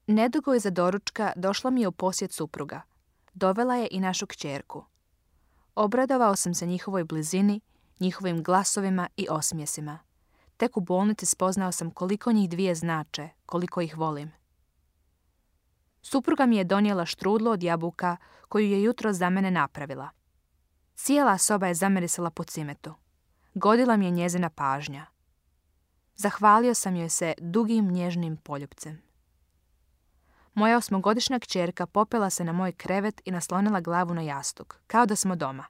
Nedugo iza doručka došla mi je u posjet supruga. Dovela je i našu kćerku. Obradovao sam se njihovoj blizini, njihovim glasovima i osmijesima. Tek u bolnici spoznao sam koliko njih dvije znače, koliko ih volim. Supruga mi je donijela štrudlu od jabuka koju je jutro za mene napravila. Cijela soba je zamirisala po cimetu. Godila mi je njezina pažnja. Zahvalio sam joj se dugim nježnim poljupcem. Moja 8-godišnja kćerka popela se na moj krevet i naslonila glavu na jastuk, kao da smo doma.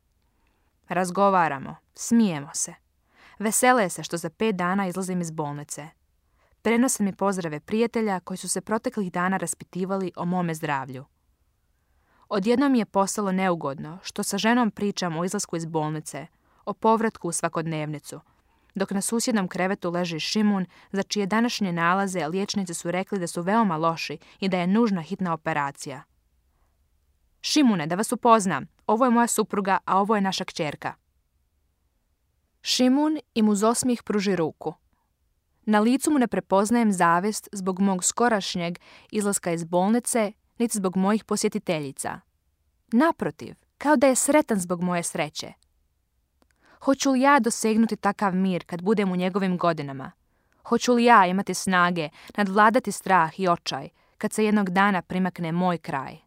Razgovaramo, smijemo se. Vesele se što za 5 dana izlazim iz bolnice. Prenose mi pozdrave prijatelja koji su se proteklih dana raspitivali o mome zdravlju. Odjednom mi je postalo neugodno što sa ženom pričam o izlasku iz bolnice, o povratku u svakodnevnicu, dok na susjednom krevetu leži Šimun, za čije današnje nalaze liječnici su rekli da su veoma loši i da je nužna hitna operacija. Šimune, da vas upoznam, ovo je moja supruga, a ovo je naša kćerka. Šimun im uz osmijeh pruži ruku. Na licu mu ne prepoznajem zavist zbog mog skorašnjeg izlaska iz bolnice, niti zbog mojih posjetiteljica. Naprotiv, kao da je sretan zbog moje sreće. Hoću li ja dosegnuti takav mir kad budem u njegovim godinama? Hoću li ja imati snage nadvladati strah i očaj kad se jednog dana primakne moj kraj?